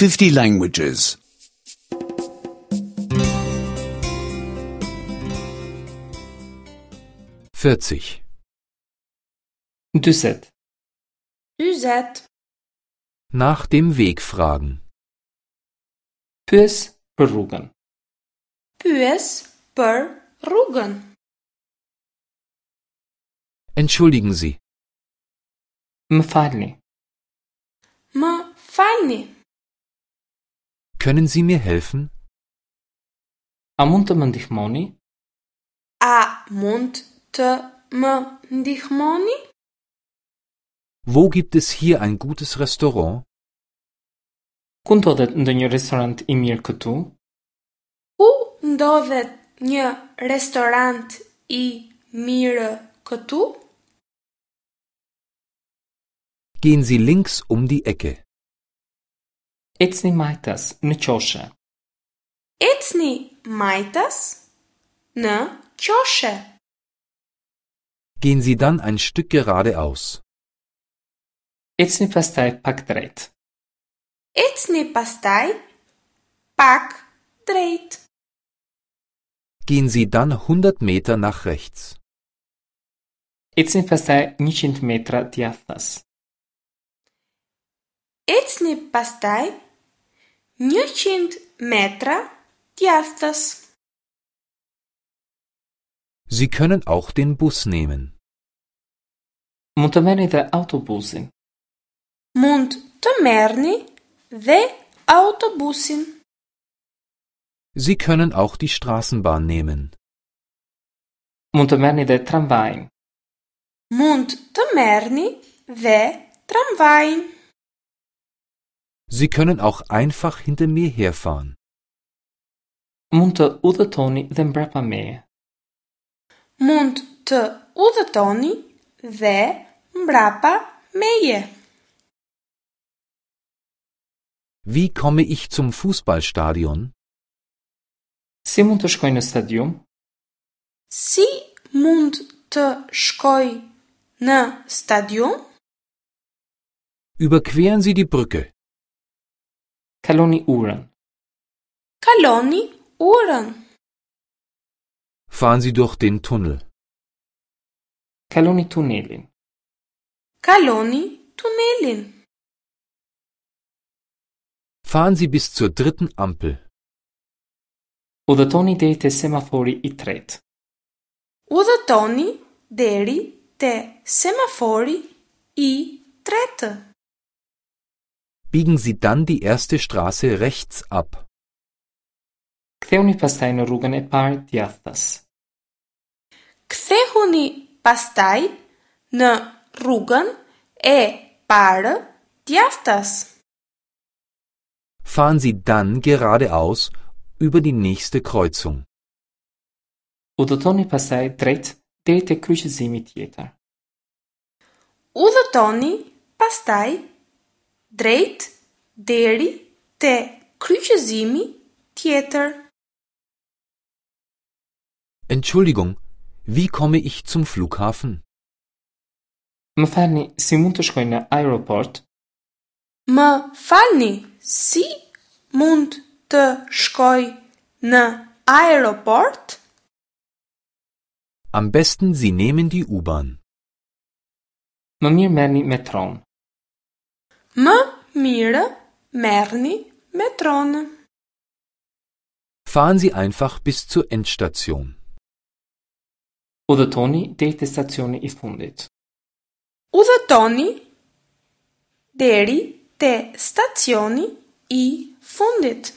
50 languages. 40. 40. 40. Nach dem Weg fragen. Pyes për rrugën. Pyes për rrugën. Entschuldigen Sie, Më falni. Më falni. können Sie mir helfen? A mund të më ndihmoni? A mund të më ndihmoni? Wo gibt es hier ein gutes Restaurant? Ku ndodhet ndonjë restorant i mirë këtu? Ku ndodhet një restorant i mirë këtu? Gehen Sie links um die Ecke. Ecni majtas në qoshe. Ecni majtas në qoshe. Gehen Sie dann ein Stück geradeaus. Ecni pastaj pak drejt. Ecni pastaj pak drejt. Gehen Sie dann 100 Meter nach rechts. Ecni pastaj 100 metra djathtas. Ecni pastaj 100 metra djathtas. Sie können auch den Bus nehmen. Mund të merrni dhe autobusin. Mund të merrni dhe autobusin. Sie können auch die Straßenbahn nehmen. Mund të merrni dhe tramvajin. Mund të merrni dhe tramvajin. Sie können auch einfach hinter mir herfahren. Mund të udhëtoni dhe mbrapa meje. Mund të udhëtoni dhe mbrapa meje. Wie komme ich zum Fußballstadion? Si mund të shkoj në stadium? Si mund të shkoj në stadium? Überqueren Sie die Brücke. Kaloni urën. Kaloni urën. Fahren Sie durch den Tunnel. Kaloni tunelin. Kaloni tunelin. Fahren Sie bis zur dritten Ampel. Udhëtoni deri te semafori i tretë. Udhëtoni deri te semafori i tretë. Biegen Sie dann die erste Straße rechts ab. Kthehuni pastaj në rrugën e parë djathtas. Kthehuni pastaj në rrugën e parë djathtas. Fahren Sie dann geradeaus über die nächste Kreuzung. Udhëtoni pastaj drejt deri te kryqëzimi tjetër. Udhëtoni pastaj drejt deri te kryqëzimi tjetër. Entschuldigung, wie komme ich zum Flughafen? Më falni, si mund të shkoj në aeroport? Më falni, si mund të shkoj në aeroport? Am besten Sie nehmen die U-Bahn. Më mirë merrni metron. Më mirë merrni metronë. Fahren Sie einfach bis zur Endstation. Udhëtoni deri te stacioni i fundit. Udhëtoni deri te stacioni i fundit.